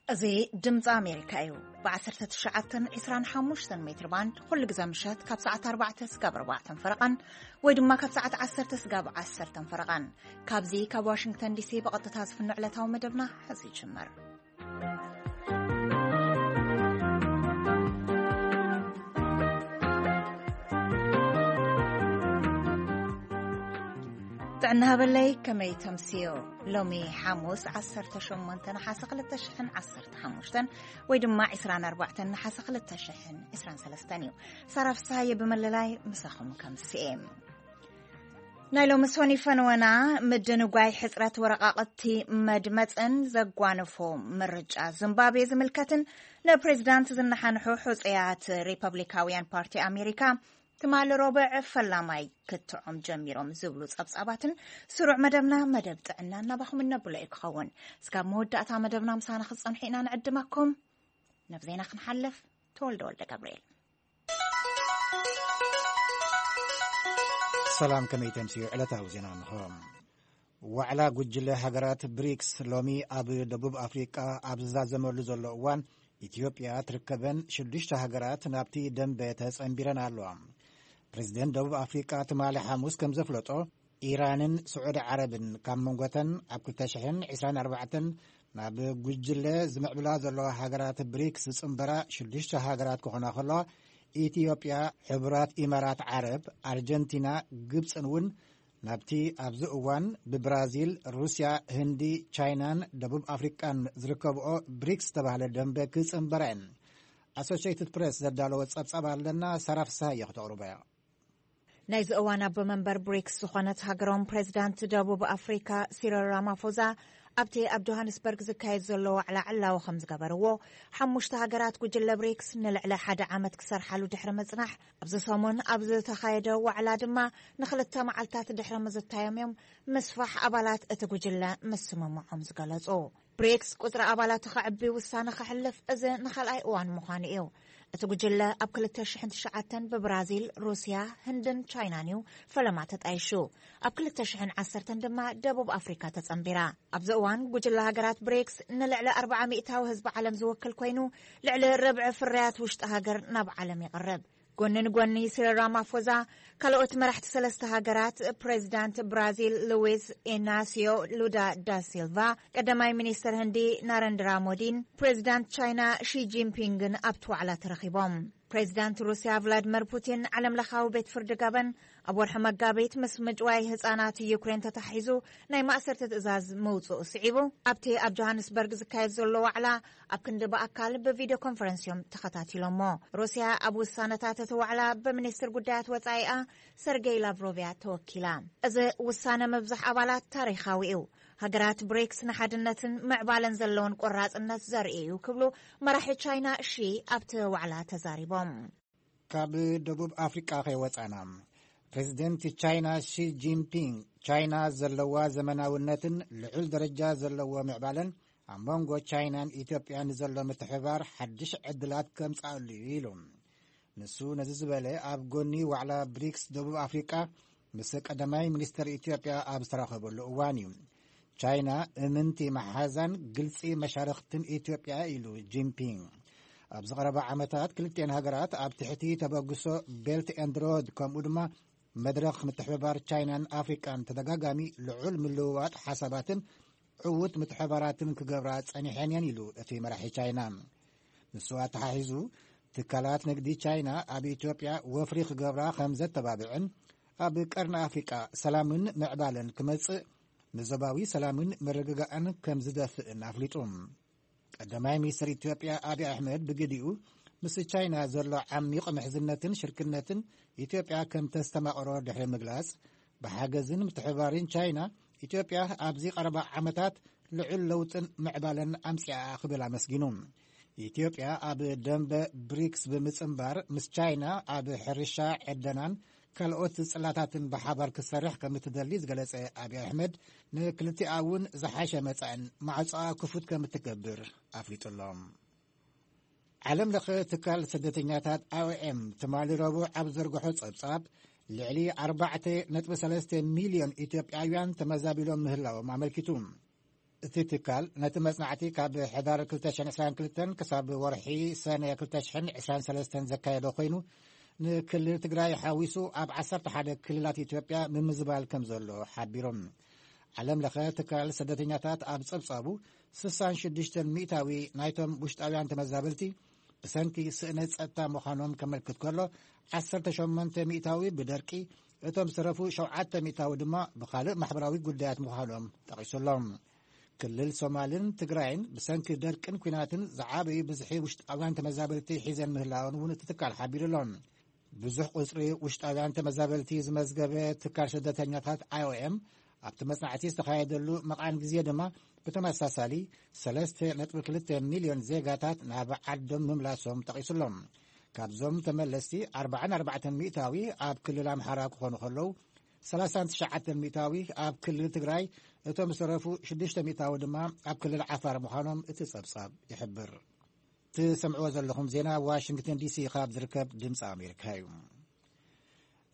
እዚ ድምፂ ኣሜሪካ እዩ። ብ19 25 ሜትር ባንድ ኩሉ ግዜ ምሸት ካብ ሰዓት ኣርባዕተ ስጋብ ኣርባዕተን ፈረቓን ወይ ድማ ካብ ሰዓት ዓሰርተ ስጋብ ዓሰርተን ፈረቓን። ካብዚ ካብ ዋሽንግተን ዲሲ ብቐጥታ ዝፍኖ ዕለታዊ መደብና ሕዚ ይጅምር። ጥዕና ሃበለይ፣ ከመይ ተምስዮ? ሎሚ ሓሙስ 18 ነሓሰ 2015 ወይ ድማ 24 ነሓሰ 2023 እዩ። ሳራ ፍስሃየ ብመለላይ ምሳኹም ከምስኤ። ናይ ሎሚ ሶኒ ፈንወና፣ ምድንጓይ ሕጽረት ወረቓቕቲ መድመጽን ዘጓነፎ ምርጫ ዚምባብዌ ዝምልከትን ንፕሬዚዳንት ዝነሓንሑ ሕጹያት ሪፐብሊካውያን ፓርቲ ኣሜሪካ ትማሊ ረቡዕ ፈላማይ ክትዖም ጀሚሮም ዝብሉ ጸብጻባትን ስሩዕ መደብና መደብ ጥዕና እናባኹም እነብሎ እዩ ክኸውን። ስጋብ መወዳእታ መደብና ምሳና ክትጸንሑ ኢና ንዕድመኩም። ናብ ዜና ክንሓልፍ፣ ተወልደ ወልደ ገብርኤል። ሰላም፣ ከመይ ተምስዩ? ዕለታዊ ዜና እንሆ። ዋዕላ ጉጅለ ሃገራት ብሪክስ ሎሚ ኣብ ደቡብ ኣፍሪቃ ኣብ ዝዛዘመሉ ዘሎ እዋን፣ ኢትዮጵያ ትርከበን ሽዱሽተ ሃገራት ናብቲ ደንበ ተጸንቢረን ኣለዋ። ፕሬዚደንት ደቡብ ኣፍሪቃ ትማሊ ሓሙስ ከም ዘፍለጦ፣ ኢራንን ስዑዲ ዓረብን ካብ መንጎተን ኣብ 2024 ናብ ጉጅለ ዝምዕብላ ዘለዋ ሃገራት ብሪክስ ዝጽንበራ ሽዱሽተ ሃገራት ክኾና ከለዋ፣ ኢትዮጵያ፣ ሕቡራት ኢማራት ዓረብ፣ ኣርጀንቲና፣ ግብጽን እውን ናብቲ ኣብዚ እዋን ብብራዚል፣ ሩስያ፣ ህንዲ፣ ቻይናን ደቡብ ኣፍሪቃን ዝርከብኦ ብሪክስ ዝተባህለ ደንበ ክጽንበራ እየን። ኣሶሽየትድ ፕሬስ ዘዳለወ ጸብጻብ ኣለና፣ ሳራ ፍስሃየ ክተቕርቦ እያ። ናይዚ እዋን ኣቦ መንበር ብሪክስ ዝኾነት ሃገሮም ፕሬዚዳንት ደቡብ ኣፍሪካ ሲሪል ራማፎዛ ኣብቲ ኣብ ጆሃንስበርግ ዝካየድ ዘሎ ዋዕላ ዕላዊ ከም ዝገበርዎ፣ ሓሙሽተ ሃገራት ጉጅለ ብሪክስ ንልዕሊ ሓደ ዓመት ክሰርሓሉ ድሕሪ ምጽናሕ፣ ኣብዚ ሰሙን ኣብ ዝተኻየደ ዋዕላ ድማ ንኽልተ መዓልታት ድሕሪ ምዝታዮም እዮም ምስፋሕ ኣባላት እቲ ጉጅለ ምስምምዖም ዝገለጹ። ብሪክስ ቁጽሪ ኣባላቱ ከዕቢ ውሳነ ከሕልፍ እዚ ንኻልኣይ እዋን ምዃኑ እዩ። እቲ ጉጅለ ኣብ 2009 ብብራዚል፣ ሩስያ፣ ህንድን ቻይናን እዩ ፈለማ ተጣይሹ። ኣብ 2010 ድማ ደቡብ ኣፍሪካ ተጸንቢራ። ኣብዚ እዋን ጉጅለ ሃገራት ብሪክስ ንልዕሊ ኣርብዓ ሚእታዊ ህዝቢ ዓለም ዝውክል ኮይኑ፣ ልዕሊ ርብዒ ፍርያት ውሽጢ ሃገር ናብ ዓለም ይቕርብ። ጎኒ ንጎኒ ሲሪል ራማፎዛ፣ ካልኦት መራሕቲ ሰለስተ ሃገራት፣ ፕሬዚዳንት ብራዚል ሉዊስ ኢናሲዮ ሉዳ ዳ ሲልቫ፣ ቀዳማይ ሚኒስትር ህንዲ ናረንድራ ሞዲን ፕሬዚዳንት ቻይና ሺ ጂንፒንግን ኣብቲ ዋዕላ ተረኺቦም። ፕሬዚዳንት ሩስያ ቭላድመር ፑቲን፣ ዓለም ለኻዊ ቤት ፍርዲ ገበን ኣብ ወርሒ መጋቢት ምስ ምጭዋይ ህጻናት ዩክሬን ተታሒዙ ናይ ማእሰርቲ ትእዛዝ ምውጽኡ ስዒቡ፣ ኣብቲ ኣብ ጆሃንስበርግ ዝካየድ ዘሎ ዋዕላ ኣብ ክንዲ ብኣካል ብቪድዮ ኮንፈረንስ እዮም ተኸታቲሎሞ። ሩስያ ኣብ ውሳነታት እቲ ዋዕላ ብሚኒስትር ጉዳያት ወጻኢኣ ሰርጌይ ላቭሮቭ እያ ተወኪላ። እዚ ውሳነ ምብዛሕ ኣባላት ታሪኻዊ እዩ። ሃገራት ብሪክስ ንሓድነትን ምዕባለን ዘለውን ቆራጽነት ዘርኢ እዩ ክብሉ መራሒ ቻይና ሺ ኣብቲ ዋዕላ ተዛሪቦም። ካብ ደቡብ ኣፍሪቃ ከይወጻና፣ ፕሬዚደንት ቻይና ሺ ጂንፒንግ፣ ቻይና ዘለዋ ዘመናውነትን ልዑል ደረጃ ዘለዎ ምዕባለን ኣብ መንጎ ቻይናን ኢትዮጵያን ንዘሎ ምትሕብባር ሓድሽ ዕድላት ከምጽኣሉ እዩ ኢሉ። ንሱ ነዚ ዝበለ ኣብ ጎኒ ዋዕላ ብሪክስ ደቡብ ኣፍሪቃ ምስ ቀዳማይ ሚኒስትር ኢትዮጵያ ኣብ ዝተራኸበሉ እዋን እዩ። ቻይና እምንቲ መሓዛን ግልጺ መሻርኽትን ኢትዮጵያ ኢሉ ጂንፒንግ። ኣብ ዝቐረባ ዓመታት ክልቲኤን ሃገራት ኣብ ትሕቲ ተበግሶ ቤልት ኤንድ ሮድ ከምኡ ድማ መድረኽ ምትሕብባር ቻይናን ኣፍሪቃን ተደጋጋሚ ልዑል ምልውዋጥ ሓሳባትን ዕዉት ምትሕብባራትን ክገብራ ጸኒሐን እየን ኢሉ እቲ መራሒ ቻይና። ንሱ ኣተሓሒዙ፣ ትካላት ንግዲ ቻይና ኣብ ኢትዮጵያ ወፍሪ ክገብራ ከም ዘተባብዕን ኣብ ቀርኒ ኣፍሪቃ ሰላምን ምዕባለን ክመጽእ ንዞባዊ ሰላምን ምርግጋእን ከም ዝደፍእን ኣፍሊጡ። ቀዳማይ ሚኒስትር ኢትዮጵያ ኣብይ ኣሕመድ ብግዲኡ፣ ምስ ቻይና ዘሎ ዓሚቕ ምሕዝነትን ሽርክነትን ኢትዮጵያ ከም ተስተማቕሮ ድሕሪ ምግላጽ፣ ብሓገዝን ምትሕብባርን ቻይና፣ ኢትዮጵያ ኣብዚ ቀረባ ዓመታት ልዑል ለውጥን ምዕባለን ኣምጺኣ ክብል ኣመስጊኑ። ኢትዮጵያ ኣብ ደንበ ብሪክስ ብምጽንባር፣ ምስ ቻይና ኣብ ሕርሻ፣ ዕደናን ካልኦት ጽላታትን ብሓባር ክሰርሕ ከም እትደሊ ዝገለጸ ኣብይ ኣሕመድ፣ ንክልቲኣ እውን ዝሓሸ መጻእን ማዕጾኣ ክፉት ከም እትገብር ኣፍሊጡ ኣሎ። ዓለም ለኸ ትካል ስደተኛታት ኣይ ኦ ኤም ትማሊ ረቡዕ ኣብ ዘርግሖ ጸብጻብ፣ ልዕሊ 4.3 ሚልዮን ኢትዮጵያውያን ተመዛቢሎም ምህላዎም ኣመልኪቱ። እቲ ትካል ነቲ መጽናዕቲ ካብ ሕዳር ክልተ ሽሕን ዕስራን ክልተን ክሳብ ወርሒ ሰነ ክልተ ሽሕን ዕስራን ሰለስተን ዘካየዶ ኮይኑ፣ ንክልል ትግራይ ሓዊሱ ኣብ ዓሰርተ ሓደ ክልላት ኢትዮጵያ ምምዝባል ከም ዘሎ ሓቢሮም። ዓለም ለኸ ትካል ስደተኛታት ኣብ ጸብጻቡ፣ ስሳን ሽዱሽተን ሚእታዊ ናይቶም ውሽጣውያን ተመዛበልቲ ብሰንኪ ስእነት ጸጥታ ምዃኖም ከመልክት ከሎ፣ ዓሰርተ ሸሞንተ ሚእታዊ ብደርቂ፣ እቶም ዝተረፉ ሸውዓተ ሚእታዊ ድማ ብኻልእ ማሕበራዊ ጉዳያት ምዃኖም ጠቒሱሎም። ክልል ሶማልን ትግራይን ብሰንኪ ደርቅን ኲናትን ዝዓበዩ ብዝሒ ውሽጣውያን ተመዛበልቲ ሒዘን ምህላወን እውን እቲ ትካል ሓቢሩሎም። ብዙሕ ቁጽሪ ውሽጣውያን ተመዛበልቲ ዝመዝገበ ትካል ስደተኛታት ኣይ ኦ ኤም ኣብቲ መጽናዕቲ ዝተኻየደሉ መቓን ግዜ ድማ ብተመሳሳሊ ሰለስተ ነጥቢ ክልተ ሚልዮን ዜጋታት ናብ ዓዶም ምምላሶም ጠቒሱሎም። ካብዞም ተመለስቲ ኣርባዓን ኣርባዕተን ሚእታዊ ኣብ ክልል ኣምሓራ ክኾኑ ከለዉ፣ ሰላሳን ትሽዓተን ሚእታዊ ኣብ ክልል ትግራይ፣ እቶም ዝተረፉ ሽዱሽተ ሚእታዊ ድማ ኣብ ክልል ዓፋር ምዃኖም እቲ ጸብጻብ ይሕብር። ትሰምዕዎ ዘለኹም ዜና ዋሽንግተን ዲ ሲ ካብ ዝርከብ ድምፂ ኣሜሪካ እዩ።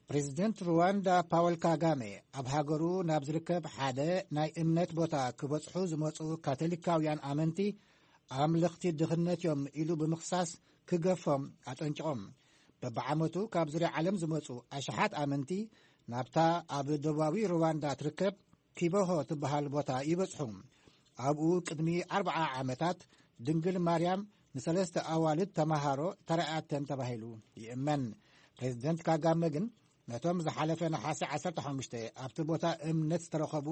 ፕሬዚደንት ሩዋንዳ ፓወል ካጋሜ ኣብ ሃገሩ ናብ ዝርከብ ሓደ ናይ እምነት ቦታ ክበጽሑ ዝመጹ ካቶሊካውያን ኣመንቲ ኣምለኽቲ ድኽነት እዮም ኢሉ ብምኽሳስ ክገፎም ኣጠንቂቖም። በብዓመቱ ካብ ዙርያ ዓለም ዝመጹ ኣሽሓት ኣመንቲ ናብታ ኣብ ደቡባዊ ሩዋንዳ ትርከብ ኪበሆ ትበሃል ቦታ ይበጽሑ። ኣብኡ ቅድሚ ኣርብዓ ዓመታት ድንግል ማርያም ንሰለስተ ኣዋልድ ተማሃሮ ተራእያተን ተባሂሉ ይእመን። ፕሬዚደንት ካጋመ ግን ነቶም ዝሓለፈ ነሓሰ ዓሰርተ ሓሙሽተ ኣብቲ ቦታ እምነት ዝተረኸቡ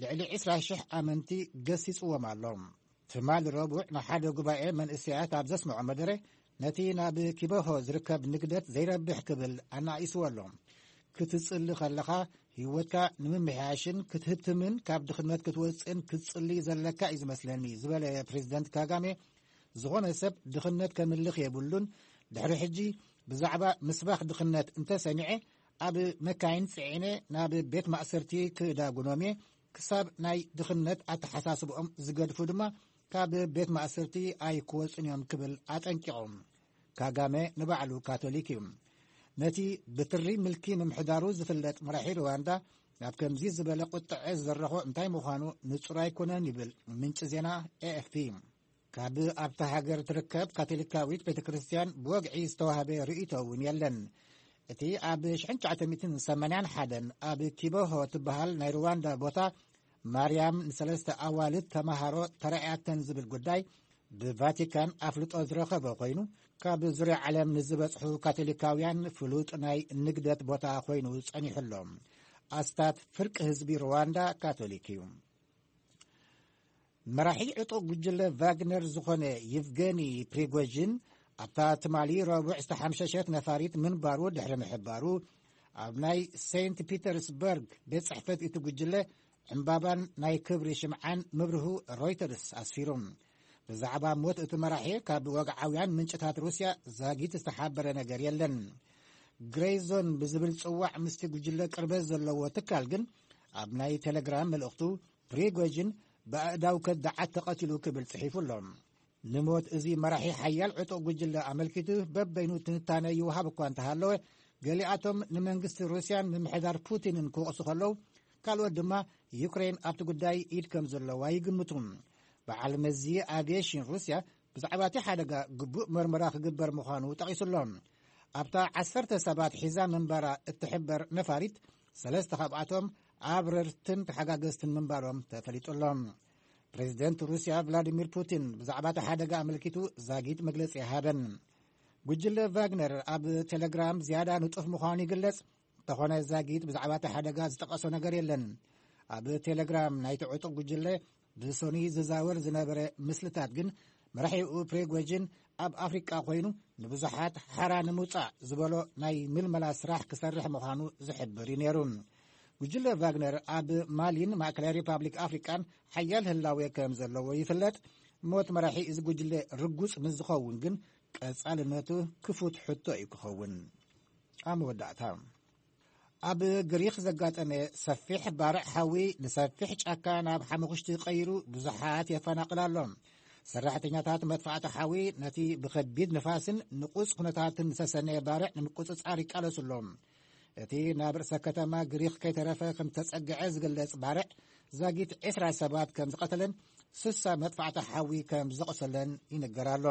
ልዕሊ ዕስራ ሽሕ ኣመንቲ ገሲጽዎም ኣሎ። ትማሊ ረቡዕ ንሓደ ጉባኤ መንእሰያት ኣብ ዘስምዖ መደረ፣ ነቲ ናብ ኪበሆ ዝርከብ ንግደት ዘይረብሕ ክብል ኣናኢስዎ ኣሎ። ክትጽሊ ከለኻ ህይወትካ ንምምሕያሽን ክትህብትምን ካብ ድኽነት ክትወጽእን ክትጽሊ ዘለካ እዩ ዝመስለኒ ዝበለ ፕሬዚደንት ካጋሜ፣ ዝኾነ ሰብ ድኽነት ከምልኽ የብሉን። ድሕሪ ሕጂ ብዛዕባ ምስባኽ ድኽነት እንተሰሚዐ ኣብ መካይን ጽዒነ ናብ ቤት ማእሰርቲ ክዳጉኖም እየ። ክሳብ ናይ ድኽነት ኣተሓሳስብኦም ዝገድፉ ድማ ካብ ቤት ማእሰርቲ ኣይክወጹን እዮም ክብል ኣጠንቂቖም። ካጋመ ንባዕሉ ካቶሊክ እዩ። ነቲ ብትሪ ምልኪ ምምሕዳሩ ዝፍለጥ መራሒ ሩዋንዳ ናብ ከምዚ ዝበለ ቁጥዐ ዝደረኾ እንታይ ምዃኑ ንጹር ኣይኮነን ይብል ምንጪ ዜና ኤ ኤፍ ፒ። ካብ ኣብታ ሃገር ትርከብ ካቶሊካዊት ቤተ ክርስቲያን ብወግዒ ዝተዋህበ ርእይቶ እውን የለን። እቲ ኣብ ሽሕን ትሽዓተ ሚእትን ሰማንያን ሓደን ኣብ ኪበሆ ትበሃል ናይ ሩዋንዳ ቦታ ማርያም ንሰለስተ ኣዋልድ ተማሃሮ ተራእያተን ዝብል ጉዳይ ብቫቲካን ኣፍልጦ ዝረኸበ ኮይኑ፣ ካብ ዙርያ ዓለም ንዝበጽሑ ካቶሊካውያን ፍሉጥ ናይ ንግደት ቦታ ኮይኑ ጸኒሑ ኣሎ። ኣስታት ፍርቂ ህዝቢ ሩዋንዳ ካቶሊክ እዩ። መራሒ ዕጡቕ ጉጅለ ቫግነር ዝኾነ ይቭገኒ ፕሪጎዥን ኣብታ ትማሊ ረቡዕ ዝተሓምሸሸት ነፋሪት ምንባሩ ድሕሪ ምሕባሩ፣ ኣብ ናይ ሴንት ፒተርስበርግ ቤት ጽሕፈት እቲ ጉጅለ ዕምባባን ናይ ክብሪ ሽምዓን ምብርሁ ሮይተርስ ኣስፊሩ። ብዛዕባ ሞት እቲ መራሒ ካብ ወግዓውያን ምንጭታት ሩስያ ዛጊት ዝተሓበረ ነገር የለን። ግሬይ ዞን ብዝብል ጽዋዕ ምስቲ ጉጅለ ቅርበት ዘለዎ ትካል ግን ኣብ ናይ ቴሌግራም መልእኽቱ፣ ፕሪጎጅን ብኣእዳው ከዳዓት ተቐቲሉ ክብል ጽሒፉ ኣሎ። ንሞት እዚ መራሒ ሓያል ዕጡቕ ጉጅለ ኣመልኪቱ በበይኑ ትንታነ ይወሃብ እኳ እንተሃለወ፣ ገሊኣቶም ንመንግስቲ ሩስያን ምምሕዳር ፑቲንን ክወቕሱ ከለዉ፣ ካልኦት ድማ ዩክሬን ኣብቲ ጉዳይ ኢድ ከም ዘለዋ ይግምቱ። በዓል መዚ ኣቪዬሽን ሩስያ ብዛዕባ እቲ ሓደጋ ግቡእ መርመራ ክግበር ምዃኑ ጠቒሱ ኣሎ። ኣብታ ዓሰርተ ሰባት ሒዛ ምንባራ እትሕበር ነፋሪት፣ ሰለስተ ካብኣቶም ኣብረርትን ተሓጋገዝትን ምንባሮም ተፈሊጡ ኣሎ። ፕሬዚደንት ሩስያ ቭላዲሚር ፑቲን ብዛዕባ እቲ ሓደጋ ኣመልኪቱ ዛጊት መግለጺ ኣይሃበን። ጉጅለ ቫግነር ኣብ ቴሌግራም ዝያዳ ንጡፍ ምዃኑ ይግለጽ። እንተኾነ ዛጊት ብዛዕባ እቲ ሓደጋ ዝጠቐሶ ነገር የለን። ኣብ ቴሌግራም ናይቲ ዕጡቕ ጉጅለ ብሶኒ ዝዛወር ዝነበረ ምስልታት ግን፣ መራሒኡ ፕሪጎጅን ኣብ ኣፍሪቃ ኮይኑ ንብዙሓት ሓራ ንምውጻእ ዝበሎ ናይ ምልመላ ስራሕ ክሰርሕ ምዃኑ ዝሕብር እዩ ነይሩ። ጉጅለ ቫግነር ኣብ ማሊን ማእከላይ ሪፓብሊክ ኣፍሪቃን ሓያል ህላዌ ከም ዘለዎ ይፍለጥ። ሞት መራሒ እዚ ጉጅለ ርጉጽ ምስ ዝኸውን ግን፣ ቀጻልነቱ ክፉት ሕቶ እዩ ክኸውን። ኣብ መወዳእታ፣ ኣብ ግሪኽ ዘጋጠመ ሰፊሕ ባርዕ ሓዊ ንሰፊሕ ጫካ ናብ ሓመኹሽቲ ቀይሩ ብዙሓት የፈናቕል ኣሎ። ሰራሕተኛታት መጥፋእቲ ሓዊ ነቲ ብኸቢድ ንፋስን ንቑጽ ኩነታትን ዝተሰነየ ባርዕ ንምቁጽጻር ይቃለሱ ኣለዉ። እቲ ናብ ርእሰ ከተማ ግሪኽ ከይተረፈ ከም ዝተጸግዐ ዝግለጽ ባርዕ ዛጊት ዕስራ ሰባት ከም ዝቐተለን ስሳ መጥፋዕቲ ሓዊ ከም ዘቕሰለን ይንገር ኣሎ።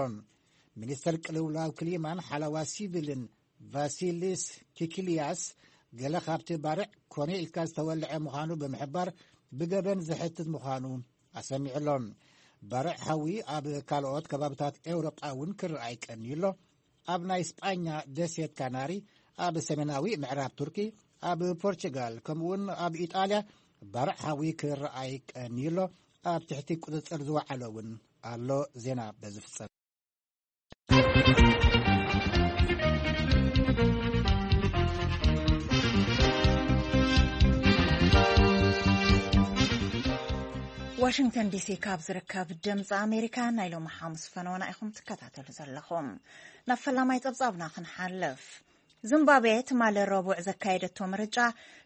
ሚኒስተር ቅልውላው ክሊማን ሓለዋ ሲቪልን ቫሲሊስ ኪኪልያስ፣ ገለ ካብቲ ባርዕ ኮነ ኢልካ ዝተወልዐ ምዃኑ ብምሕባር፣ ብገበን ዘሕትት ምዃኑ ኣሰሚዑ ኣሎ። ባርዕ ሓዊ ኣብ ካልኦት ከባብታት ኤውሮጳ እውን ክረኣይ ቀንዩ ኣሎ። ኣብ ናይ ስጳኛ ደሴት ካናሪ፣ ኣብ ሰሜናዊ ምዕራብ ቱርኪ፣ ኣብ ፖርቹጋል፣ ከምኡውን ኣብ ኢጣልያ ባርዕ ሓዊ ክረኣይ ቀንዩ ኣሎ። ኣብ ትሕቲ ቁጽጽር ዝወዓለ እውን ኣሎ። ዜና በዚ ፍጸም። ዋሽንግተን ዲሲ ካብ ዝርከብ ድምፂ ኣሜሪካ ናይ ሎሚ ሓሙስ ፈነወና ኢኹም ትከታተሉ ዘለኹም። ናብ ፈላማይ ጸብጻብና ክንሓልፍ። ዚምባብዌ ትማሊ ረቡዕ ዘካየደቶ ምርጫ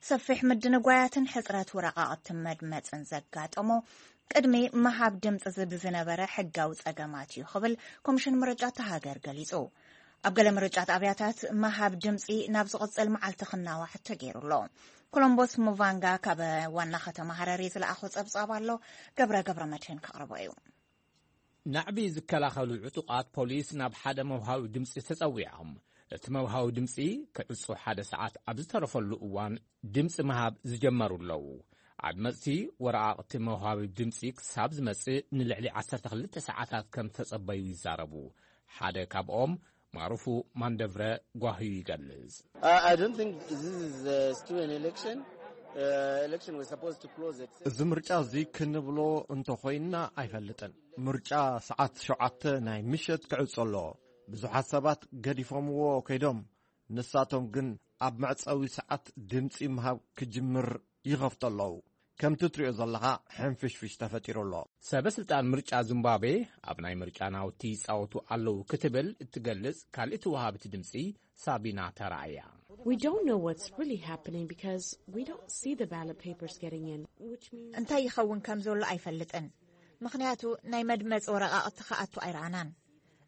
ሰፊሕ ምድንጓያትን ሕጽረት ወረቓቕቲ መድመጽን ዘጋጠሞ፣ ቅድሚ ምሃብ ድምጺ ዝብ ዝነበረ ሕጋዊ ጸገማት እዩ ክብል ኮሚሽን ምርጫ እታ ሃገር ገሊጹ። ኣብ ገለ ምርጫ ጣብያታት ምሃብ ድምጺ ናብ ዝቕጽል መዓልቲ ክናዋሕ ተገይሩ ኣሎ። ኮሎምቦስ ሙቫንጋ ካብ ዋና ከተማ ሃረሪ ዝለኣኾ ጸብጻብ ኣሎ። ገብረ ገብረ መድህን ከቕርቦ እዩ። ናዕቢ ዝከላኸሉ ዕጡቓት ፖሊስ ናብ ሓደ መውሃቢ ድምፂ ተጸዊዖም። እቲ መውሃቢ ድምፂ ክዕጾ ሓደ ሰዓት ኣብ ዝተረፈሉ እዋን ድምፂ ምሃብ ዝጀመሩ ኣለዉ። ኣድመፅቲ ወረቓቕቲ መውሃቢ ድምፂ ክሳብ ዝመጽእ ንልዕሊ ዓሰርተ ክልተ ሰዓታት ከም ተጸበዩ ይዛረቡ። ሓደ ካብኦም ማሩፉ ማንደብረ ጓህዩ ይገልጽ። I I don't think this is uh, still an election. Uh, election was supposed to close at እዚ ምርጫ እዚ ክንብሎ እንተኾይንና ኣይፈልጥን። ምርጫ ሰዓት ሸውዓተ ናይ ምሸት ክዕጾ ኣለዎ። ብዙሓት ሰባት ገዲፎምዎ ከይዶም፣ ንሳቶም ግን ኣብ መዕጸዊ ሰዓት ድምጺ ምሃብ ክጅምር ይኸፍቱ ኣለዉ። ከምቲ ትሪኦ ዘለኻ ሕንፍሽፍሽ ተፈጢሩ ኣሎ። ሰበ ስልጣን ምርጫ ዚምባብዌ ኣብ ናይ ምርጫ ናውቲ ይጻወቱ ኣለዉ ክትብል እትገልጽ ካልእቲ ወሃብቲ ድምጺ ሳቢና ተራእያ። We don't know what's really happening because we don't see the ballot papers getting in, which means እንታይ ይኸውን ከም ዘሎ ኣይፈልጥን፣ ምኽንያቱ ናይ መድመፂ ወረቓቕቲ ክኣቱ ኣይረኣናን።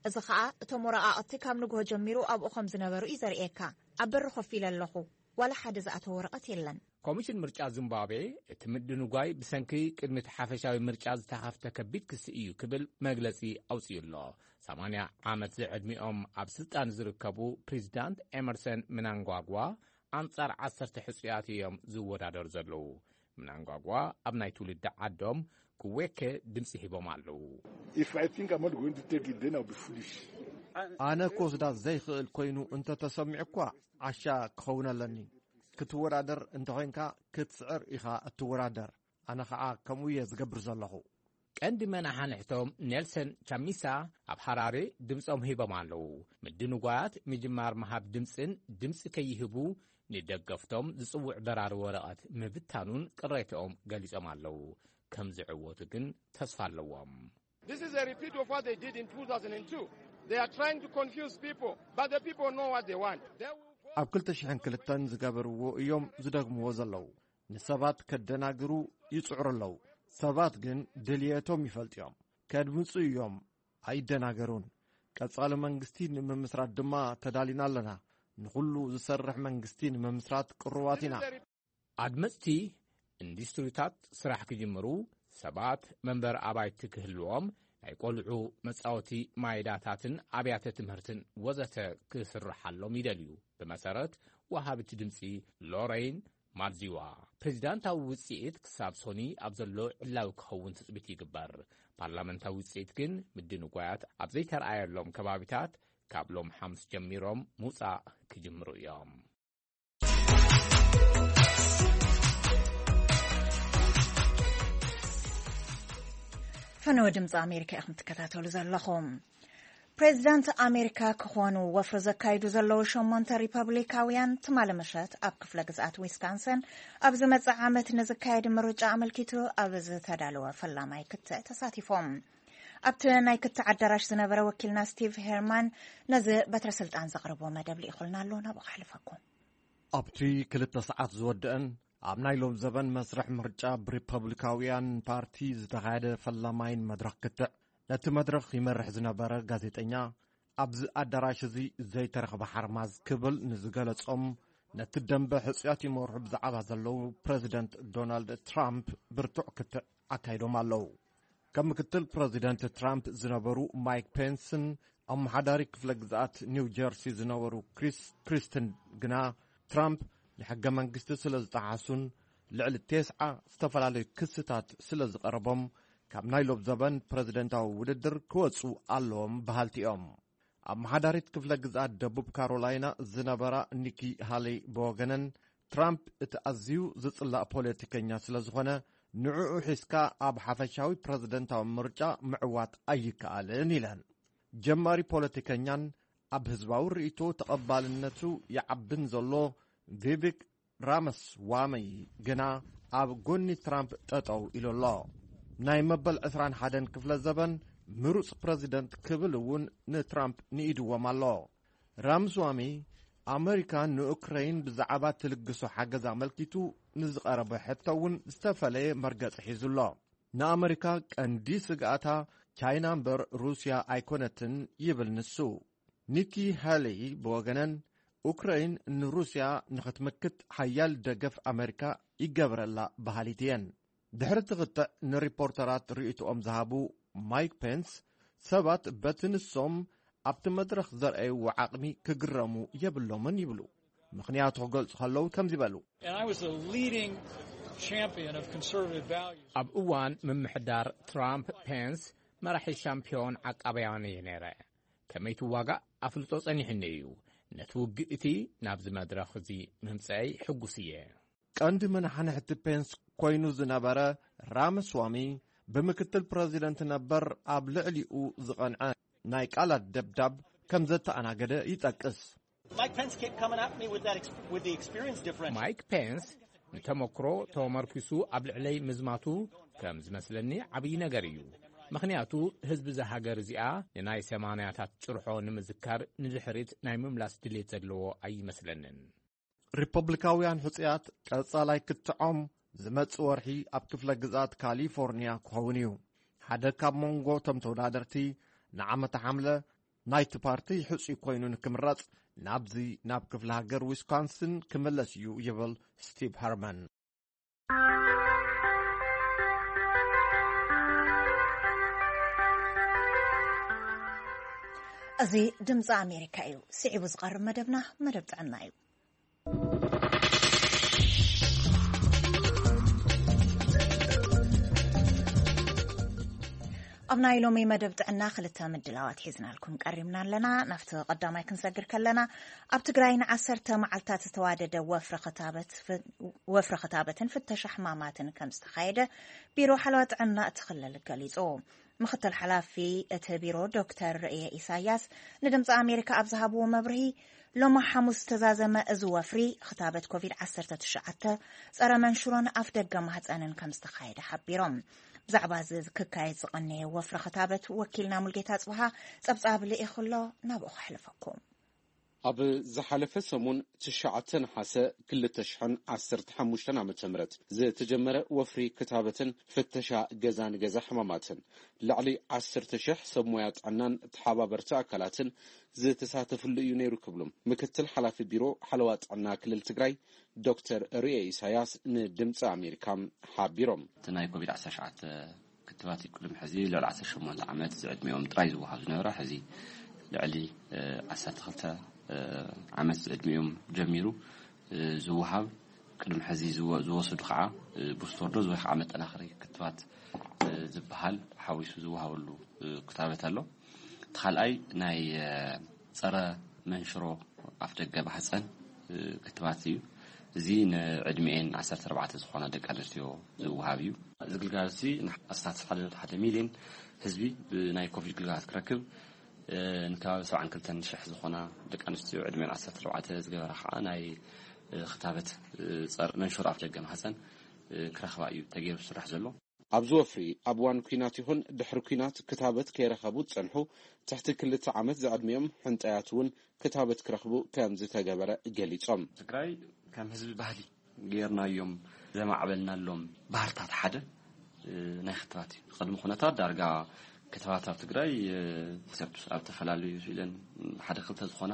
እዚ ኸኣ እቶም ወረቓቕቲ ካብ ንግሆ ጀሚሩ ኣብኡ ከም ዝነበሩ እዩ ዘርእየካ። ኣብ በሪ ኮፍ ኢለ ኣለኹ፣ ዋላ ሓደ ዝኣተወ ወረቐት የለን። ኮሚሽን ምርጫ ዚምባብዌ፣ እቲ ምድንጓይ ብሰንኪ ቅድሚ እቲ ሓፈሻዊ ምርጫ ዝተኸፍተ ከቢድ ክሲ እዩ ክብል መግለጺ ኣውጺኡ ኣሎ። ሰማንያ ዓመት ዝዕድሚኦም ኣብ ስልጣን ዝርከቡ ፕሬዚዳንት ኤመርሰን ምናንጓጓ ኣንጻር ዓሰርተ ሕጹያት እዮም ዝወዳደሩ ዘለዉ። ምናንጓጓ ኣብ ናይ ትውልዲ ዓዶም ክዌከ ድምጺ ሂቦም ኣለዉ። If I think I'm not going to take it, then I'll be foolish. ኣነ ክወስዳ ዘይኽእል ኮይኑ እንተተሰሚዑ እኳ ዓሻ ክኸውን ኣለኒ። ክትወዳደር እንተኾይንካ ክትስዕር ኢኻ እትወዳደር። ኣነ ኸዓ ከምኡ እየ ዝገብር ዘለኹ። ቀንዲ መናሓንሕቶም ኔልሰን ቻሚሳ ኣብ ሃራሬ ድምጾም ሂቦም ኣለዉ። ምድንጓያት ምጅማር ምሃብ ድምጽን ድምጺ ከይህቡ ንደገፍቶም ዝጽውዕ በራሪ ወረቐት ምብታኑን ቅሬታኦም ገሊጾም ኣለዉ። ከም ዝዕወቱ ግን ተስፋ ኣለዎም። This is a repeat of what they did in two thousand and two. They are trying to confuse people, but the people know what they want. They will go ኣብ ክልተ ሽሕን ክልተን ዝገበርዎ እዮም ዝደግምዎ ዘለዉ። ንሰባት ከደናግሩ ይጽዕሩ ኣለዉ። ሰባት ግን ድልየቶም ይፈልጡ እዮም። ከድምጹ እዮም። ኣይደናገሩን። ቀጻሊ መንግስቲ ንምምስራት ድማ ተዳሊና ኣለና። ንኹሉ ዝሰርሕ መንግስቲ ንምምስራት ቅሩባት ኢና። ኣድመጽቲ ኢንዱስትሪታት ስራሕ ክጅምሩ፣ ሰባት መንበሪ ኣባይቲ ክህልዎም፣ ናይ ቆልዑ መጻወቲ ማይዳታትን ኣብያተ ትምህርትን ወዘተ ክስርሓሎም ይደልዩ። ብመሰረት ወሃቢት ድምጺ ሎሬን ማርዚዋ፣ ፕሬዚዳንታዊ ውጽኢት ክሳብ ሶኒ ኣብ ዘሎ ዕላዊ ክኸውን ትጽቢት ይግበር። ፓርላመንታዊ ውጽኢት ግን ምድንጓያት ኣብ ዘይተረኣየሎም ከባቢታት ካብ ሎም ሓሙስ ጀሚሮም ምውጻእ ክጅምሩ እዮም። ፈነወ ድምፂ ኣሜሪካ ኢኹም ትከታተሉ ዘለኹም። ፕሬዚዳንት ኣሜሪካ ክኾኑ ወፍሪ ዘካይዱ ዘለዉ ሸሞንተ ሪፐብሊካውያን ትማሊ ምሸት ኣብ ክፍለ ግዝኣት ዊስካንሰን ኣብ ዝመጽእ ዓመት ንዝካየድ ምርጫ ኣመልኪቱ ኣብ ዝተዳለወ ፈላማይ ክትዕ ተሳቲፎም። ኣብቲ ናይ ክትዕ ኣዳራሽ ዝነበረ ወኪልና ስቲቭ ሄርማን ነዚ በትረ ስልጣን ዘቕርቦ መደብ ልኢኹልና ኣሎ፣ ናብኡ ከሕልፈኩም። ኣብቲ ክልተ ሰዓት ዝወደአን ኣብ ናይ ሎም ዘበን መስርሕ ምርጫ ብሪፐብሊካውያን ፓርቲ ዝተኻየደ ፈላማይን መድረኽ ክትዕ፣ ነቲ መድረኽ ይመርሕ ዝነበረ ጋዜጠኛ፣ ኣብዚ ኣዳራሽ እዚ ዘይተረኽበ ሓርማዝ ክብል ንዝገለጾም፣ ነቲ ደንበ ሕጹያት ይመርሑ ብዛዕባ ዘለዉ ፕረዚደንት ዶናልድ ትራምፕ ብርቱዕ ክትዕ ኣካይዶም ኣለዉ። ከም ምክትል ፕረዚደንት ትራምፕ ዝነበሩ ማይክ ፔንስን ኣመሓዳሪ ክፍለ ግዝኣት ኒው ጀርሲ ዝነበሩ ክሪስ ክሪስትን ግና፣ ትራምፕ ንሕገ መንግስቲ ስለ ዝጠሓሱን ልዕሊ ቴስዓ ዝተፈላለዩ ክስታት ስለ ዝቐረቦም፣ ካብ ናይ ሎብ ዘበን ፕረዚደንታዊ ውድድር ክወጹ ኣለዎም በሃልቲ እዮም። ኣመሓዳሪት ክፍለ ግዝኣት ደቡብ ካሮላይና ዝነበራ ኒኪ ሃለይ ብወገነን፣ ትራምፕ እቲ ኣዝዩ ዝጽላእ ፖለቲከኛ ስለ ዝኾነ፣ ንዕኡ ሒዝካ ኣብ ሓፈሻዊ ፕረዚደንታዊ ምርጫ ምዕዋት ኣይከኣልን ኢለን። ጀማሪ ፖለቲከኛን ኣብ ህዝባዊ ርእይቶ ተቐባልነቱ ይዓብን ዘሎ ቪቪክ ራመስዋሚ ግና ኣብ ጎኒ ትራምፕ ጠጠው ኢሉ ኣሎ። ናይ መበል ዕስራን ሓደን ክፍለ ዘበን ምሩጽ ፕረዚደንት ክብል እውን ንትራምፕ ንኢድዎም ኣሎ። ራምስዋሚ፣ ኣመሪካ ንኡክረይን ብዛዕባ ትልግሶ ሓገዝ ኣመልኪቱ ንዝቐረበ ሕቶ እውን ዝተፈለየ መርገጺ ሒዙ ኣሎ። ንኣመሪካ ቀንዲ ስግኣታ ቻይና እምበር ሩስያ ኣይኮነትን ይብል ንሱ። ኒኪ ሃሊ ብወገነን፣ ኡክረይን ንሩስያ ንኽትምክት ሓያል ደገፍ ኣመሪካ ይገብረላ በሃሊት እየን። ድሕሪ ትኽትዕ ንሪፖርተራት ርእይቶኦም ዝሃቡ ማይክ ፔንስ፣ ሰባት በቲ ንሶም ኣብቲ መድረኽ ዘርኣይዎ ዓቕሚ ክግረሙ የብሎምን ይብሉ። ምኽንያቱ ክገልጹ ከለዉ ከምዚ በሉ። And I was a leading champion of conservative values. ኣብ እዋን ምምሕዳር ትራምፕ፣ ፔንስ መራሒ ሻምፒዮን ዓቃብያን እየ ነይረ። ከመይ ትዋጋእ ኣፍልጦ ጸኒሕኒ እዩ። ነቲ ውግእ እቲ ናብዚ መድረኽ እዚ ምምጽአይ ሕጉስ እየ። ቀንዲ መናሕንሕቲ ፔንስ ኮይኑ ዝነበረ ራመስዋሚ፣ ብምክትል ፕረዚደንት ነበር ኣብ ልዕሊኡ ዝቐንዐ ናይ ቃላት ደብዳብ ከም ዘተኣናገደ ይጠቅስ። Mike Pence kept coming at me with that ex- with the experience differential. ማይክ ፔንስ ንተመክሮ ተመርኪሱ ኣብ ልዕለይ ምዝማቱ ከም ዝመስለኒ ዓብዪ ነገር እዩ። ምኽንያቱ ህዝቢ እዛ ሃገር እዚኣ ንናይ ሰማንያታት ጭርሖ ንምዝካር ንድሕሪት ናይ ምምላስ ድሌት ዘለዎ ኣይመስለንን። ሪፐብሊካውያን ሕጹያት ቀጻላይ ክትዖም ዝመጽእ ወርሒ ኣብ ክፍለ ግዝኣት ካሊፎርኒያ ክኸውን እዩ። ሓደ ካብ መንጎ እቶም ተወዳደርቲ ንዓመተ ሓምለ ናይቲ ፓርቲ ሕጹይ ኮይኑ ንክምረጽ ናብዚ ናብ ክፍለ ሃገር ዊስኮንስን ክምለስ እዩ ይብል ስቲቭ ሀርመን። እዚ ድምፂ ኣሜሪካ እዩ። ስዒቡ ዝቐርብ መደብና መደብ ጥዕና እዩ። ኣብ ናይ ሎሚ መደብ ጥዕና ክልተ ምድላዋት ሒዝናልኩም ቀሪብና ኣለና። ናብቲ ቀዳማይ ክንሰግር ከለና፣ ኣብ ትግራይ ንዓሰርተ መዓልታት ዝተዋደደ ወፍሪ ክታበት ፍ- ወፍሪ ክታበትን ፍተሻ ሕማማትን ከም ዝተኻየደ ቢሮ ሓለዋ ጥዕና እቲ ክልል ገሊጹ። ምክትል ሓላፊ እቲ ቢሮ ዶክተር ርእየ ኢሳያስ ንድምፂ ኣሜሪካ ኣብ ዝሃብዎ መብርሂ፣ ሎማ ሓሙስ ዝተዛዘመ እዚ ወፍሪ ክታበት ኮቪድ ዓሰርተ ትሽዓተ፣ ጸረ መንሽሮን ኣፍ ደገ ማህፀንን ከም ዝተኻየደ ሓቢሮም። ብዛዕባ እዚ ክካየድ ዝቐነየ ወፍሪ ክታበት ወኪልና ሙልጌታ ጽብሃ ጸብጻብ ልኢኹ ኣሎ፣ ናብኡ ከሕልፈኩም። ኣብ ዝሓለፈ ሰሙን ትሽዓተ ነሓሰ ክልተ ሽሕን ዓሰርተ ሓሙሽተን ዓመተ ምህረት ዝተጀመረ ወፍሪ ክታበትን ፍተሻ ገዛ ንገዛ ሕማማትን ልዕሊ ዓሰርተ ሽሕ ሰብ ሞያ ጥዕናን ተሓባበርቲ ኣካላትን ዝተሳተፍሉ እዩ ነይሩ ክብሉ ምክትል ሓላፊ ቢሮ ሓለዋ ጥዕና ክልል ትግራይ ዶክተር ርኤ ኢሳያስ ንድምፂ ኣሜሪካ ሓቢሮም። እቲ ናይ ኮቪድ ዓሰርተ ትሽዓተ ክትባት ቅድሚ ሕዚ ልዕሊ ዓሰርተ ሸሞንተ ዓመት ዝዕድሚኦም ጥራይ ዝወሃብ ዝነበረ፣ ሕዚ ልዕሊ፣ እ፣ ዓሰርተ ክልተ፣ እ፣ ዓመት ዝዕድሚኦም ጀሚሩ፣ እ፣ ዝወሃብ፣ ቅድሚ ሕዚ ዝወ-፣ ዝወሰዱ ከዓ፣ እ፣ ቡስተር ዶዝ ወይ ከዓ መጠናኸሪ ክትባት፣ እ፣ ዝበሃል ሓዊሱ ዝወሃበሉ፣ እ፣ ክታበት ኣሎ። እቲ ካልኣይ ናይ፣ እ፣ ጸረ መንሽሮ ኣፍ ደገ ማህፀን፣ እ፣ ክትባት እዩ። እዚ ንዕድሚኤን ዓሰርተ ኣርባዕተ ዝኾና ደቂ ኣንስትዮ ዝወሃብ እዩ። እዚ ግልጋሎት እዚ ንኣስታት ሓደ ነጥቢ ሓደ ሚልዮን ህዝቢ ብናይ ኮቪድ ግልጋሎት ክረክብ፣ እ፣ ንከባቢ ሰብዓን ክልተን ሽሕ ዝኾና ደቂ ኣንስትዮ ዕድሚኤን ዓሰርተ ኣርባዕተ ዝገበራ ከዓ ናይ፣ እ፣ ክታበት፣ እ፣ ጸር መንሽሮ ኣፍ ደገ ማህፀን፣ እ፣ ክረኽባ እዩ ተገይሩ ዝስራሕ ዘሎ። ኣብዚ ወፍሪ ኣብ እዋን ኲናት ይኹን ድሕሪ ኲናት ክታበት ከይረኸቡ ዝጸንሑ ትሕቲ ክልተ ዓመት ዝዕድሚኦም ሕንጠያት እውን ክታበት ክረኽቡ ከም ዝተገበረ ገሊጾም። ትግራይ ከም ህዝቢ ባህሊ ጌርናዮም ዘማዕበልናሎም ባህርታት ሓደ፣ እ፣ ናይ ክትባት እዩ። ቅድሚ ኩነታት ዳርጋ ክትባት ኣብ ትግራይ፣ እ፣ ኤክሰፕት ኣብ ዝተፈላለዩ ስዊደን ሓደ ክልተ ዝኾና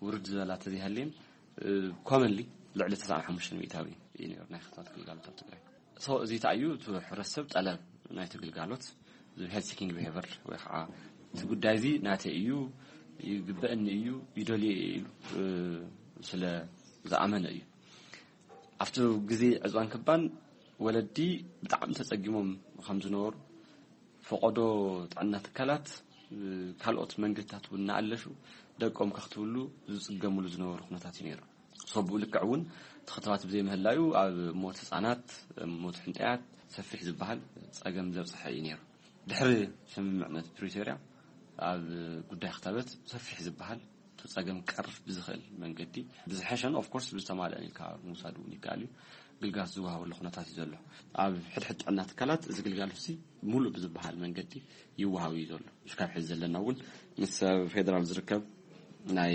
ውርድ ዝበላ ተዘይሃልየን፣ እ፣ ኮመንሊ ልዕሊ ተስዓን ሓሙሽተን ሚእታዊ እዩ ነይሩ ናይ ክትባት ግልጋሎት ኣብ ትግራይ። ሶ፣ እዚ ተኣዩ እቲ ሕብረተሰብ ጠለብ ናይቲ ግልጋሎት ዝብሃል ሲኪንግ ቢሄቨር ወይ ከዓ እቲ ጉዳይ እዚ ናተይ እዩ፣ ይግበእኒ እዩ፣ ይደልዮ እየ ኢሉ ስለ ዝኣመነ እዩ። ኣብቲ ግዜ ዕፅዋን ክባን ወለዲ ብጣዕሚ ተፀጊሞም ከም ዝነበሩ፣ ፈቐዶ ጥዕና ትካላት ካልኦት መንገድታት እውን እናኣለሹ ደቆም ከኽትብሉ ዝፅገምሉ ዝነበሩ ኩነታት እዩ ነይሩ። ሰብኡ ልክዕ እውን ተኽተባት ብዘይምህላዩ ኣብ ሞት ህፃናት፣ ሞት ሕንጠያት ሰፊሕ ዝበሃል ፀገም ዘብፅሐ እዩ ነይሩ። ድሕሪ ስምምዕነት ፕሪቶርያ ኣብ ጉዳይ ክታበት ሰፊሕ ዝበሃል እቲ ፀገም ክቀርፍ ብዝኽእል መንገዲ ብዝሐሸን ኦፍኮርስ ብዝተማልአን ኢልካ ምውሳድ እውን ይከኣል እዩ። ግልጋሎት ዝወሃበሉ ኩነታት እዩ ዘሎ። ኣብ ሕድሕድ ጥዕና ትካላት እዚ ግልጋሎት እዚ ሙሉእ ብዝበሃል መንገዲ ይወሃብ እዩ ዘሎ። እስካብ ሕዚ ዘለና እውን ምስ ኣብ ፌደራል ዝርከብ ናይ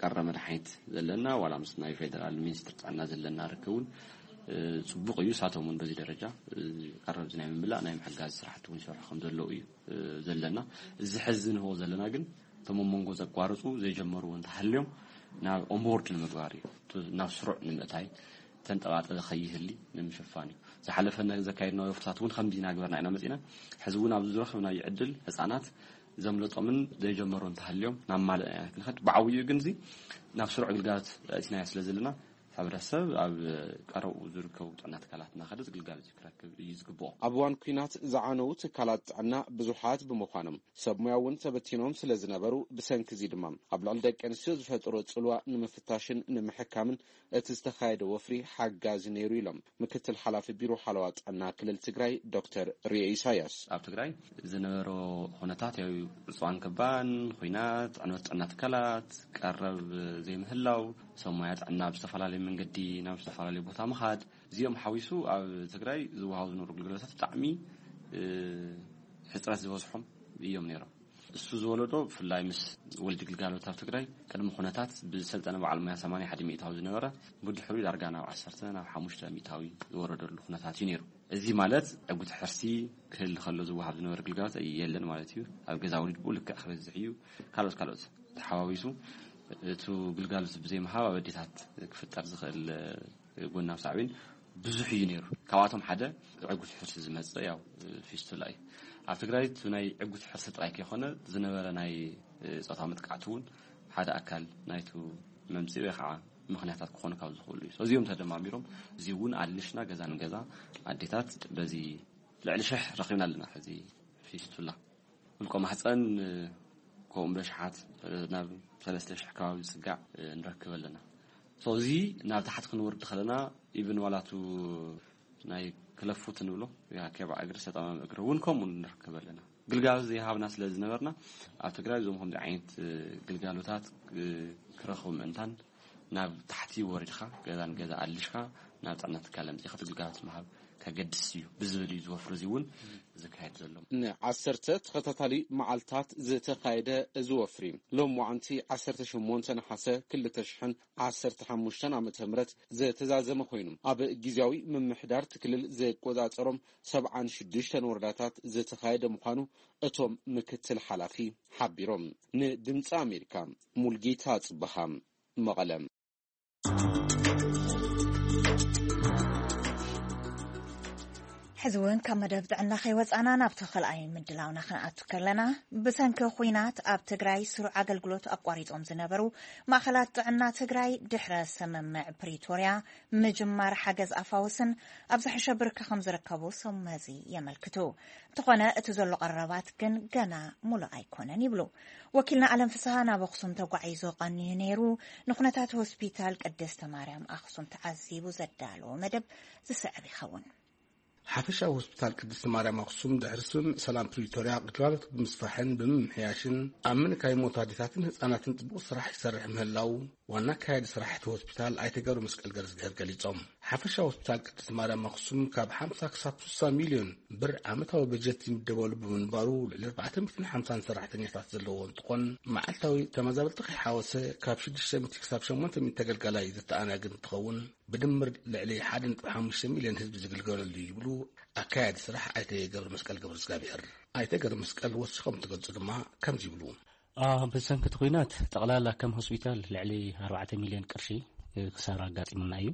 ቀረ መድሓኒት ዘለና ዋላ ምስ ናይ ፌደራል ሚኒስትር ጥዕና ዘለና ርክብ እውን ፅቡቕ እዩ። ሳቶም እውን በዚ ደረጃ ቀረብ ናይ ምምላእ ናይ ምሕጋዝ ስራሕቲ እውን ይሰርሑ ከም ዘለዉ እዩ ዘለና። እዚ ሕዚ ንህቦ ዘለና ግን እቶም ኣብ መንጎ ዘቋርፁ ዘይጀመርዎ እንተሃልዮም ናብ ኦንቦርድ ንምግባር እዩ፣ ናብ ስሩዕ ንምእታይ ተንጠባጠበ ከይህሊ ንምሽፋን እዩ። ዝሓለፈ ዘካየድናዮ ወፍርታት እውን ከምዚ እናገበርና ኢና መፂና። ሕዚ እውን ኣብዚ ዝረኸብናዮ ዕድል ህፃናት ዘምለጦምን ዘይጀመሩ እንተሃልዮም ናብ ማልእ ኢና ክንኸድ። ብዓብይኡ ግን እዚ ናብ ስሩዕ ግልጋሎት ኣእቲናዮ ስለ ዘለና፣ ሕብረተሰብ ኣብ ቀረብኡ ዝርከቡ ጥዕና ትካላት እናኸደ ግልጋሎት ክረክብ እዩ ዝግብኦ። ኣብ እዋን ኲናት ዝዓነዉ ትካላት ጥዕና ብዙሓት ብምዃኖም ሰብ ሙያ እውን ተበቲኖም ስለ ዝነበሩ፣ ብሰንኪ እዚ ድማ ኣብ ልዕሊ ደቂ ኣንስትዮ ዝፈጠሮ ጽልዋ ንምፍታሽን ንምሕካምን እቲ ዝተኻየደ ወፍሪ ሓጋዚ ነይሩ ኢሎም ምክትል ሓላፊ ቢሮ ሓለዋ ጥዕና ክልል ትግራይ ዶክተር ርኤ ኢሳያስ። ኣብ ትግራይ ዝነበሮ ኩነታት ያው ዕፅዋን ክባን፣ ኹናት፣ ዕንወት ጥዕና ትካላት፣ ቀረብ ዘይምህላው፣ ሰብ ሞያ ጥዕና ኣብ ዝተፈላለዩ መንገዲ ናብ ዝተፈላለዩ ቦታ ምኻድ፣ እዚኦም ሓዊሱ ኣብ ትግራይ ዝወሃቡ ዝነበሩ ግልጋሎታት ብጣዕሚ ሕፅረት ዝበዝሖም እዮም ነይሮም። እሱ ዝወለዶ ብፍላይ ምስ ወልዲ ግልጋሎት ኣብ ትግራይ ቅድሚ ኩነታት ብዝሰልጠነ በዓል ሞያ ሰማንያ ሓደ ሚእታዊ ዝነበረ፣ ብድሕሪኡ ዳርጋ ናብ ዓሰርተ ናብ ሓሙሽተ ሚእታዊ ዝወረደሉ ኩነታት እዩ ነይሩ። እዚ ማለት ዕጉት ሕርሲ ክህል ከሎ ዝወሃብ ዝነበረ ግልጋሎት የለን ማለት እዩ። ኣብ ገዛ ወሊድ ብኡ ልክዕ ክበዝሕ እዩ። ካልኦት ካልኦት ተሓዋዊሱ እቲ ግልጋሎት ብዘይምሃብ ኣብ ኣዴታት ክፍጠር ዝኽእል ጎናዊ ሳዕቤን ብዙሕ እዩ ነይሩ። ካብኣቶም ሓደ ዕጉት ሕርሲ ዝመፅእ ያው ፊስቱላ እዩ። ኣብ ትግራይ እቲ ናይ ዕጉት ሕርሲ ጥራይ ከይኮነ ዝነበረ ናይ ፆታ መጥቃዕቲ እውን ሓደ ኣካል ናይቱ መምፅኢ ወይ ከዓ ምኽንያታት ክኾኑ ካብ ዝኽእሉ እዩ። እዚኦም ተደማሚሮም እዚ እውን ኣልሽና ገዛ ንገዛ ኣዴታት በዚ ልዕሊ ሽሕ ረኺብና ኣለና። ሕዚ ፊስቱላ ውልቆ ማህፀን ከምኡ በሽሓት ናብ ሰለስተ ሽሕ ከባቢ ዝፅጋዕ ንረክብ ኣለና። እዚ ናብ ታሕቲ ክንወርድ ከለና ኢብን ዋላቱ ናይ ክለፉት ንብሎ ኬባ እግሪ ሰጣማም እግሪ እውን ከምኡ ንረክብ ኣለና። ግልጋሎት ዘይሃብና ስለ ዝነበርና ኣብ ትግራይ እዞም ከምዚ ዓይነት ግልጋሎታት ክረኽቡ ምእንታን ናብ ታሕቲ ወሪድካ ገዛን ገዛ ኣልሽካ ናብ ጥዕና ትካል ኣምፂኻ ግልጋሎት ምሃብ ከገድስ እዩ ብዝብል እዩ ዝወፍሪ እዚ እውን ዝካየድ ዘሎ። ንዓሰርተ ተኸታታሊ መዓልታት ዝተኻየደ እዚ ወፍሪ ሎም ዋዕንቲ ዓሰርተ ሸሞንተ ነሓሰ ክልተ ሽሕን ዓሰርተ ሓሙሽተን ዓመተ ምህረት ዝተዛዘመ ኮይኑ ኣብ ግዜያዊ ምምሕዳር እቲ ክልል ዝቆጻጸሮም ሰብዓን ሽዱሽተን ወረዳታት ዝተኻየደ ምዃኑ እቶም ምክትል ሓላፊ ሓቢሮም። ንድምፂ ኣሜሪካ ሙልጌታ ጽበሃ መቐለ። ሕዚ እውን ካብ መደብ ጥዕና ከይወፃና ናብቲ ካልኣይ ምድላውና ክንኣቱ ከለና፣ ብሰንኪ ኹናት ኣብ ትግራይ ስሩዕ ኣገልግሎት ኣቋሪጾም ዝነበሩ ማእኸላት ጥዕና ትግራይ ድሕረ ስምምዕ ፕሪቶርያ ምጅማር ሓገዝ ኣፋውስን ኣብ ዝሕሸ ብርኪ ከም ዝርከቡ ሰብ መዚ የመልክቱ። እንተኾነ እቲ ዘሎ ቀረባት ግን ገና ሙሉእ ኣይኮነን ይብሉ። ወኪልና ኣለም ፍስሃ ናብ ኣኽሱም ተጓዒዙ ቀንዩ ነይሩ። ንኹነታት ሆስፒታል ቅድስተ ማርያም ኣኽሱም ተዓዚቡ ዘዳለዎ መደብ ዝስዕብ ይኸውን። ሓፈሻዊ ሆስፒታል ቅድስተ ማርያም ኣኽሱም ድሕሪ ስምምዕ ሰላም ፕሪቶርያ ግልጋሎት ብምስፋሕን ብምምሕያሽን ኣብ ምንካይ ሞት ኣዴታትን ህፃናትን ፅቡቕ ስራሕ ይሰርሕ ምህላው ዋና ኣካያዲ ስራሕቲ ሆስፒታል ኣይተ ገብረ መስቀል ገረዝግሄር ገሊፆም። ሓፈሻዊ ሆስፒታል ቅድስት ማርያም ኣኽሱም ካብ ሓምሳ ክሳብ ስሳ ሚልዮን ብር ዓመታዊ በጀት ይምደበሉ ብምንባሩ ልዕሊ ኣርባዕተ ሚእትን ሓምሳን ሰራሕተኛታት ዘለዎ እንትኾን መዓልታዊ ተመዛበልቲ ከይሓወሰ ካብ ሽዱሽተ ሚእቲ ክሳብ ሸሞንተ ሚእቲ ተገልጋላይ ዘተኣናግድ እንትኸውን ብድምር ልዕሊ ሓደ ነጥቢ ሓሙሽተ ሚልዮን ህዝቢ ዝግልገለሉ እዩ ይብሉ ኣካያዲ ስራሕ ኣይተ ገብረ መስቀል ገብረ እግዚኣብሔር። ኣይተ ገብረ መስቀል ወሲኾም እንትገልፁ ድማ ከምዚ ይብሉ። ብሰንኪ እቲ ኲናት ጠቕላላ ከም ሆስፒታል ልዕሊ ኣርባዕተ ሚልዮን ቅርሺ ክሳራ ኣጋጢሙና እዩ።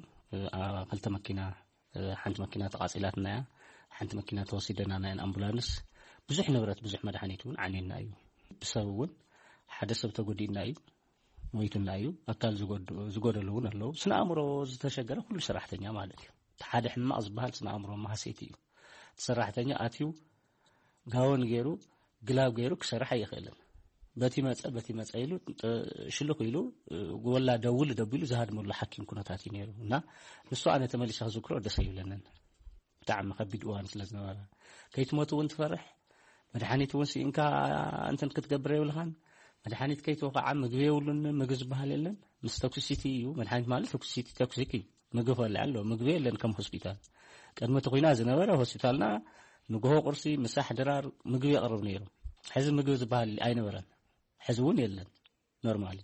ክልተ መኪና፣ ሓንቲ መኪና ተቓጺላትና እያ፣ ሓንቲ መኪና ተወሲደና ናይ ኣምቡላንስ፣ ብዙሕ ንብረት፣ ብዙሕ መድሓኒት እውን ዓንዩና እዩ። ብሰብ እውን ሓደ ሰብ ተጎዲእና እዩ፣ ሞይቱና እዩ። ኣካል ዝጎድ-፣ ዝጎደሉ እውን ኣለዉ። ስነ ኣእምሮ ዝተሸገረ ኩሉ ሰራሕተኛ ማለት እዩ። እቲ ሓደ ሕማቕ ዝበሃል ስነ ኣእምሮ ማህሰይቲ እዩ። እቲ ሰራሕተኛ ኣትዩ ጋውን ገይሩ፣ ግላብ ገይሩ ክሰርሕ ኣይኽእልን። በቲ መጸ፣ በቲ መጸ ኢሉ፣ ጥ-፣ ሽልኽ ኢሉ፣ ወላ ደውል ደቢሉ ዝሃድመሉ ሓኪም ኩነታት እዩ ነይሩ። እና ንሱ ኣነ ተመሊሰ ክዝክሮ ደስ ኣይብለንን። ብጣዕሚ ከቢድ እዋን ስለ ዝነበረ፣ ከይትሞት እውን ትፈርሕ። መድሓኒት እውን ስኢንካ እንትን ክትገብር የብልኻን። መድሓኒት ከይትወ ከዓ ምግቢ የብሉን። ምግቢ ዝበሃል የለን። ምስ ቶክሲሲቲ እዩ። መድሓኒት ማለት ቶክሲሲቲ፣ ቶክሲክ እዩ። ምግቢ ክበልዕ ኣለዎ። ምግቢ የለን ከም ሆስፒታል። ቅድሚ እቲ ኹናት ዝነበረ ሆስፒታልና ንግሆ ቁርሲ፣ ምሳሕ፣ ድራር ምግቢ የቕርብ ነይሩ። ሕዚ ምግቢ ዝበሃል ኣይነበረን። ሕዚ እውን የለን። ኖርማሊ።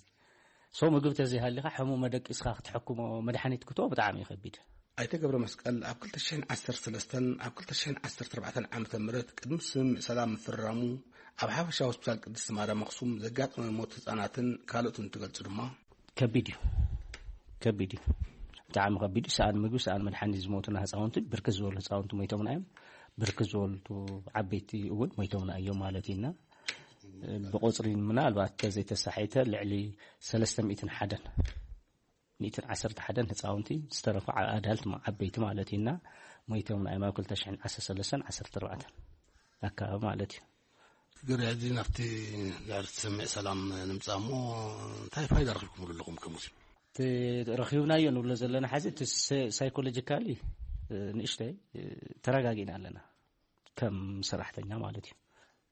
ሶ ምግቢ ተዘይሃሊኻ ሕሙም መደቂስካ ክትሕክሞ፣ መድሓኒት ክትቦ ብጣዕሚ እዩ ከቢድ። ኣይተ ገብረ መስቀል ኣብ ክልተ ሽሕን ዓሰርተ ሰለስተን ኣብ ክልተ ሽሕን ዓሰርተ ኣርባዕተን ዓመተ ምህረት ቅድሚ ስምምዕ ሰላም ምፍርራሙ ኣብ ሓፈሻ ሆስፒታል ቅድስቲ ማርያም ኣኽሱም ዘጋጠመ ሞት ህፃናትን ካልኦትን እንትገልጹ ድማ ከቢድ እዩ። ከቢድ እዩ። ብጣዕሚ ከቢድ እዩ። ሰኣን ምግቢ፣ ሰኣን መድሓኒት ዝሞቱና ህፃውንቲ፣ ብርክት ዝበሉ ህፃውንቲ ሞይቶምና እዮም። ብርክት ዝበሉ ዓበይቲ እውን ሞይቶምና እዮም ማለት እዩና። ብቁፅሪ ምናልባት ተዘይተሳሒተ ልዕሊ ሰለስተ ሚእትን ሓደን፣ ሚእትን ዓሰርተ ሓደን ህፃውንቲ፣ ዝተረፉ ዓ-፣ ኣዳልት ማ-፣ ዓበይቲ ማለት እዩና፣ ሞይቶምና እዮም ኣብ ክልተ ሽሕን ዓሰርተ ሰለስተን ዓሰርተ ኣርባዕተን ኣካባቢ ማለት እዩ። ግርያ እዚ ናብቲ ድሕሪ ትሰምዕ ሰላም ንምጻእ እሞ እንታይ ፋይዳ ረኺብኩምሉ ኣለኹም ከም ሙስሊም? እቲ ረኺብናዮ ንብሎ ዘለና ሓዚ እቲ ሰ-፣ ሳይኮሎጂካሊ፣ እ፣ ንእሽተይ፣ እ፣ ተረጋጊእና ኣለና ከም ሰራሕተኛ ማለት እዩ።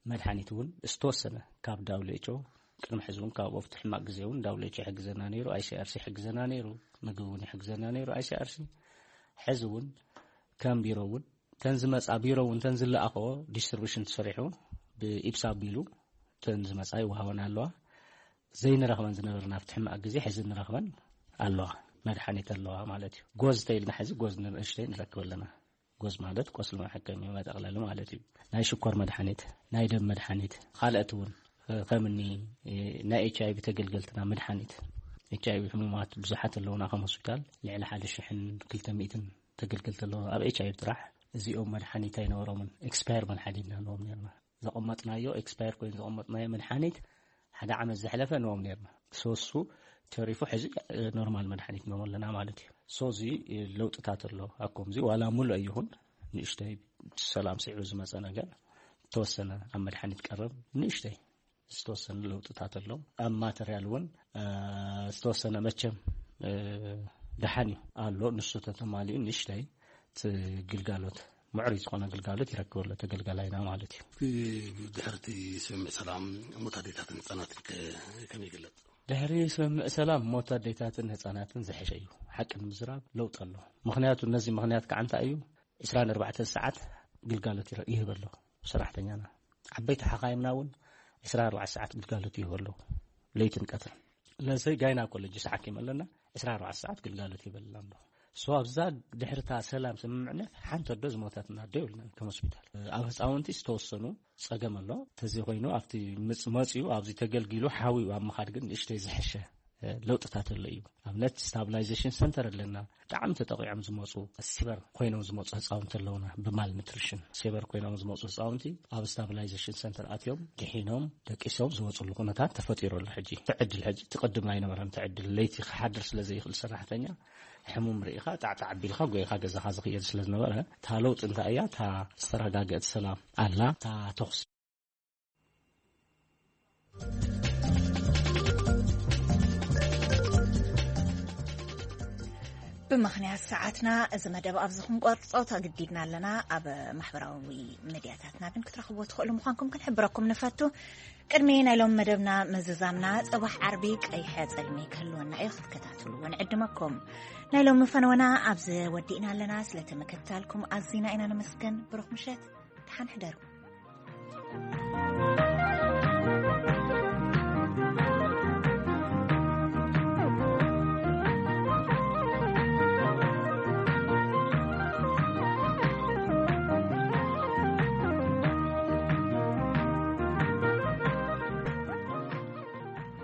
መድሓኒት እውን ዝተወሰነ ካብ ዳብሊው ኤች ኦ ቅድሚ ሕዚ እውን ካብ ኣብቲ ሕማቕ ግዜ እውን ዳብሊው ኤች ኦ ይሕግዘና ነይሩ፣ ኣይ ሲ ኣር ሲ ይሕግዘና ነይሩ፣ ምግቢ እውን ይሕግዘና ነይሩ ኣይ ሲ ኣር ሲ። ሕዚ እውን ከም ቢሮ እውን ተን ዝመጻ ቢሮ እውን ተን ዝለኣኸዎ ዲስትሪቢሽን ተሰሪሑ ብኢብሳ ኣቢሉ ተን ዝመጻ ይወሃበን ኣለዋ። ዘይንረኽበን ዝነበርና ኣብቲ ሕማቕ ግዜ ሕዚ ንረኽበን ኣለዋ፣ መድሓኒት ኣለዋ ማለት እዩ። ጎዝ ተይልና ሕዚ ጎዝ ንእሽተይ ንረክብ ኣለና። ጎዝ ማለት ቆስሊ መሐከሚ መጠቕለሊ ማለት እዩ። ናይ ሽኮር መድሓኒት፣ ናይ ደም መድሓኒት፣ ካልኦት እውን ከምኒ ናይ ኤች ኣይ ቪ ተገልገልትና መድሓኒት፣ ኤች ኣይ ቪ ሕሙማት ብዙሓት ኣለውና ከም ሆስፒታል፣ ልዕሊ ሓደ ሽሕን ክልተ ሚእትን ተገልገልቲ ኣለውና ኣብ ኤች ኣይ ቪ ጥራሕ። እዚኦም መድሓኒት ኣይነበሮምን፣ ኤክስፓየር መድሓኒት ኣለዎም ነርና። ዘቐመጥናዮ ኤክስፓየር ኮይኑ ዘቐመጥናዮ መድሓኒት ሓደ ዓመት ዘሕለፈ ንዎም ነርና። ሶሱ ተሪፉ ሕዚ ኖርማል መድሓኒት ንዎም ኣለና ማለት እዩ። ሶ እዚ ለውጥታት ኣሎ። ኣብ ከምዚ ዋላ ሙሉእ ኣይኹን ንእሽተይ ሰላም ስዒቡ ዝመፀ ነገር ተወሰነ ኣብ መድሓኒት ቀረብ ንእሽተይ ዝተወሰነ ለውጥታት ኣሎ። ኣብ ማተርያል እውን፣ እ፣ ዝተወሰነ መቸም፣ እ፣ ደሓን እዩ ኣሎ። ንሱ ተተማሊኡ ንእሽተይ እቲ ግልጋሎት፣ ምዕሩይ ዝኾነ ግልጋሎት ይረክብ ኣሎ ተገልጋላይና ማለት እዩ። እቲ ድሕርቲ ስምምዕ ሰላም ሞት ኣዴታትን ህፃናትን ከ-፣ ከመይ ይግለጽ? ድሕሪ ስምምዕ ሰላም ሞት ኣዴታትን ህፃናትን ዝሐሸ እዩ። ሓቂ ንምዝራብ ለውጥ ኣሎ። ምኽንያቱ ነዚ ምኽንያት ከዓ እንታይ እዩ? ዕስራን ኣርባዕተን ሰዓት ግልጋሎት ይረ-፣ ይህብ ኣሎ ሰራሕተኛና። ዓበይቲ ሓኻይምና እውን ዕስራን ኣርባዕተን ሰዓት ግልጋሎት ይህብ ኣሎ፣ ለይትን ቀትርን። ለሰይ ጋይናኮሎጂስት ሓኪም ኣለና፣ ዕስራን ኣርባዕተን ሰዓት ግልጋሎት ይህበልና ኣሎ። ሶ ኣብዛ ድሕርታ ሰላም ስምምዕነት ሓንቲ ኣዶ ዝሞተትና ኣዶ የብልናን ከም ሆስፒታል። ኣብ ህፃውንቲ ዝተወሰኑ ፀገም ኣሎ። ተዘይኮይኑ ኣብቲ ምፅ-፣ መፅኡ ኣብዚ ተገልጊሉ ሓዊኡ ኣብ ምኻድ ግን ንእሽተይ ዝሐሸ ለውጥታት ኣሎ እዩ። ኣብነት ስታብላይዜሽን ሰንተር ኣለና። ብጣዕሚ ተጠቂዖም ዝመፁ፣ ሲቨር ኮይኖም ዝመፁ ህፃውንቲ ኣለውና። ብማል ኒትሪሽን ሲቨር ኮይኖም ዝመፁ ህፃውንቲ ኣብ ስታብላይዜሽን ሰንተር ኣትዮም ድሒኖም ደቂሶም ዝወፅሉ ኩነታት ተፈጢሩ ኣሎ። ሕጂ እቲ ዕድል ሕጂ እቲ ቅድም ኣይነበረን። እቲ ዕድል ለይቲ ክሓድር ስለ ዘይኽእል ሰራሕተኛ ሕሙም ርኢኻ ጣዕጣዕ ኣቢልካ ጎይኻ ገዛኻ ዝኽየድ ስለ ዝነበረ እታ ለውጢ እንታይ እያ? እታ ዝተረጋገአት ሰላም ኣላ። እታ ተኹሲ ብምኽንያት ሰዓትና እዚ መደብ ኣብዚ ክንቆርጾ ተገዲድና ኣለና። ኣብ ማሕበራዊ ሚድያታትና ግን ክትረኽብዎ ትኽእሉ ምዃንኩም ክንሕብረኩም ንፈቱ። ቅድሚ ናይ ሎም መደብና ምዝዛምና፣ ጽባሕ ዓርቢ ቀይሐ ጸልሚ ክህልወና እዩ፣ ክትከታተልዎ ንዕድመኩም። ናይ ሎም ፈነወና ኣብዚ ወዲእና ኣለና። ስለቲ ምክትታልኩም ኣዚና ኢና ነመስግን። ብሩኽ ምሸት፣ ደሓን ሕደሩ።